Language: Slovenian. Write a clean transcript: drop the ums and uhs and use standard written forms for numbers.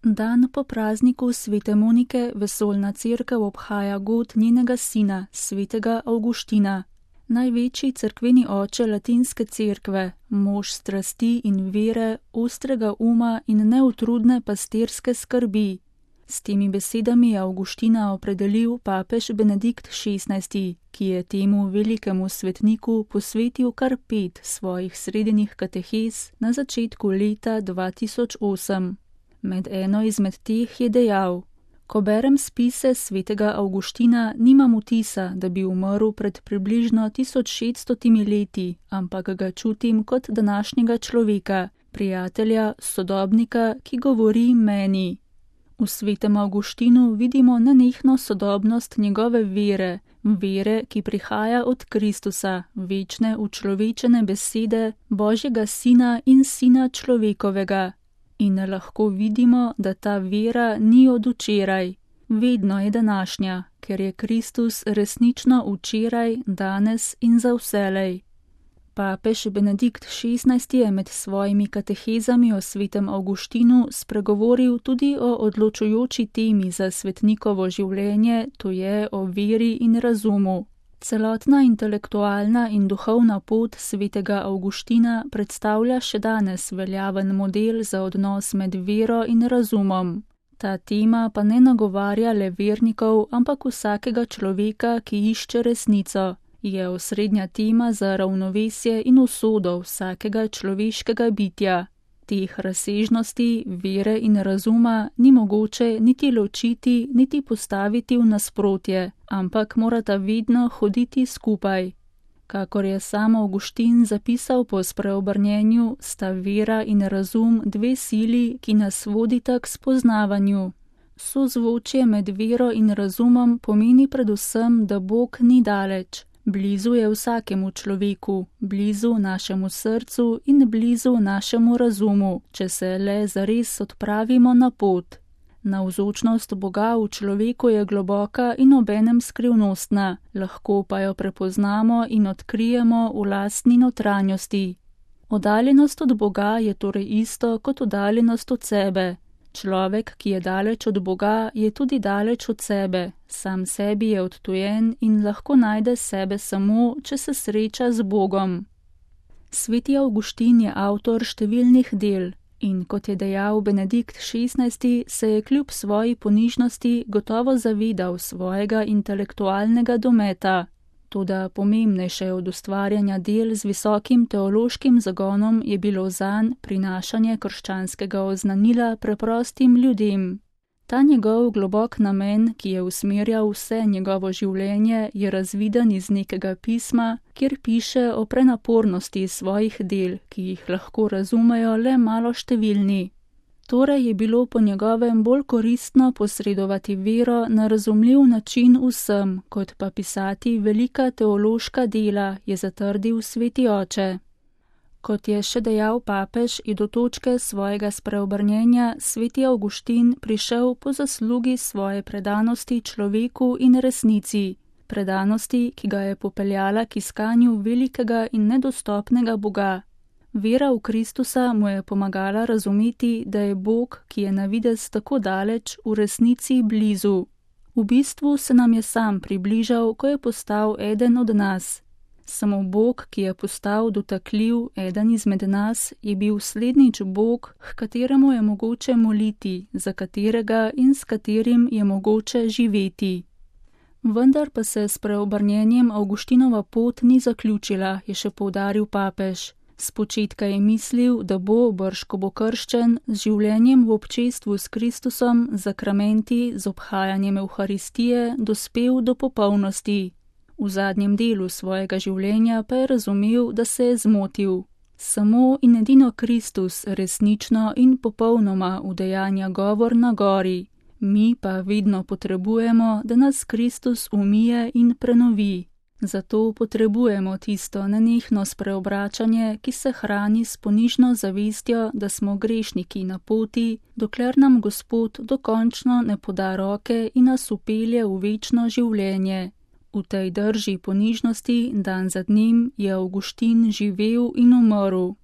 Dan po prazniku svete Monike vesoljna cerkev obhaja god njenega sina, svetega Avguština. Največji cerkveni oče latinske cerkve, mož strasti in vere, ostrega uma in neutrudne pastirske skrbi. S temi besedami je Avguština opredelil papež Benedikt XVI, ki je temu velikemu svetniku posvetil kar 5 svojih srednjih katehez na začetku leta 2008. Med eno izmed teh je dejal: Ko berem spise svetega Avguština, nimam vtisa, da bi umrl pred približno 1600 leti, ampak ga čutim kot današnjega človeka, prijatelja, sodobnika, ki govori meni. V svetem Avguštinu vidimo nenehno sodobnost njegove vere, ki prihaja od Kristusa, večne učlovečene besede, Božjega sina in sina človekovega. In lahko vidimo, da ta vera ni od včeraj, vedno je današnja, ker je Kristus resnično včeraj, danes in za vselej. Papež Benedikt XVI je med svojimi katehezami o svetem Avguštinu spregovoril tudi o odločujoči temi za svetnikovo življenje, to je o veri in razumu. Celotna intelektualna in duhovna pot svetega Avguština predstavlja še danes veljaven model za odnos med vero in razumom. Ta tema pa ne nagovarja le vernikov, ampak vsakega človeka, ki išče resnico. Je osrednja tema za ravnovesje in usodo vsakega človeškega bitja. Teh razsežnosti, vere in razuma ni mogoče niti ločiti, niti postaviti v nasprotje, ampak morata vedno hoditi skupaj. Kakor je sam Avguštin zapisal po spreobrnjenju, sta vera in razum 2 sili, ki nas vodita k spoznavanju. Sozvočje med vero in razumom pomeni predvsem, da Bog ni daleč. Blizu je vsakemu človeku, blizu našemu srcu in blizu našemu razumu, če se le zares odpravimo na pot. Navzočnost Boga v človeku je globoka in obenem skrivnostna, lahko pa jo prepoznamo in odkrijemo v lastni notranjosti. Oddaljenost od Boga je torej isto kot oddaljenost od sebe. Človek, ki je daleč od Boga, je tudi daleč od sebe, sam sebi je odtujen in lahko najde sebe samo, če se sreča z Bogom. Sveti Avguštin je avtor številnih del in, kot je dejal Benedikt XVI, se je kljub svoji ponižnosti gotovo zavedal svojega intelektualnega dometa. Toda pomembnejše od ustvarjanja del z visokim teološkim zagonom je bilo zanj prinašanje krščanskega oznanila preprostim ljudem. Ta njegov globok namen, ki je usmerjal vse njegovo življenje, je razviden iz nekega pisma, kjer piše o prenapornosti svojih del, ki jih lahko razumejo le maloštevilni. Torej je bilo po njegovem bolj koristno posredovati vero na razumljiv način vsem, kot pa pisati velika teološka dela, je zatrdil sveti oče. Kot je še dejal papež, je do točke svojega spreobrnjenja sveti Avguštin prišel po zaslugi svoje predanosti človeku in resnici, predanosti, ki ga je popeljala k iskanju velikega in nedostopnega Boga. Vera v Kristusa mu je pomagala razumeti, da je Bog, ki je na videz tako daleč, v resnici blizu. V bistvu se nam je sam približal, ko je postal eden od nas. Samo Bog, ki je postal dotakljiv, eden izmed nas, je bil slednjič Bog, h kateremu je mogoče moliti, za katerega in s katerim je mogoče živeti. Vendar pa se s preobrnjenjem Avguštinova pot ni zaključila, je še poudaril papež. Spočetka je mislil, da bo, brž ko bo krščen, z življenjem v občestvu s Kristusom, zakramenti, z obhajanjem Evharistije, dospel do popolnosti. V zadnjem delu svojega življenja pa je razumel, da se je zmotil. Samo in edino Kristus resnično in popolnoma udejanja govor na gori. Mi pa vedno potrebujemo, da nas Kristus umije in prenovi. Zato potrebujemo tisto nenehno spreobračanje, ki se hrani s ponižno zavestjo, da smo grešniki na poti, dokler nam Gospod dokončno ne poda roke in nas upelje v večno življenje. V tej drži ponižnosti dan za dnem je Avguštin živel in umrl.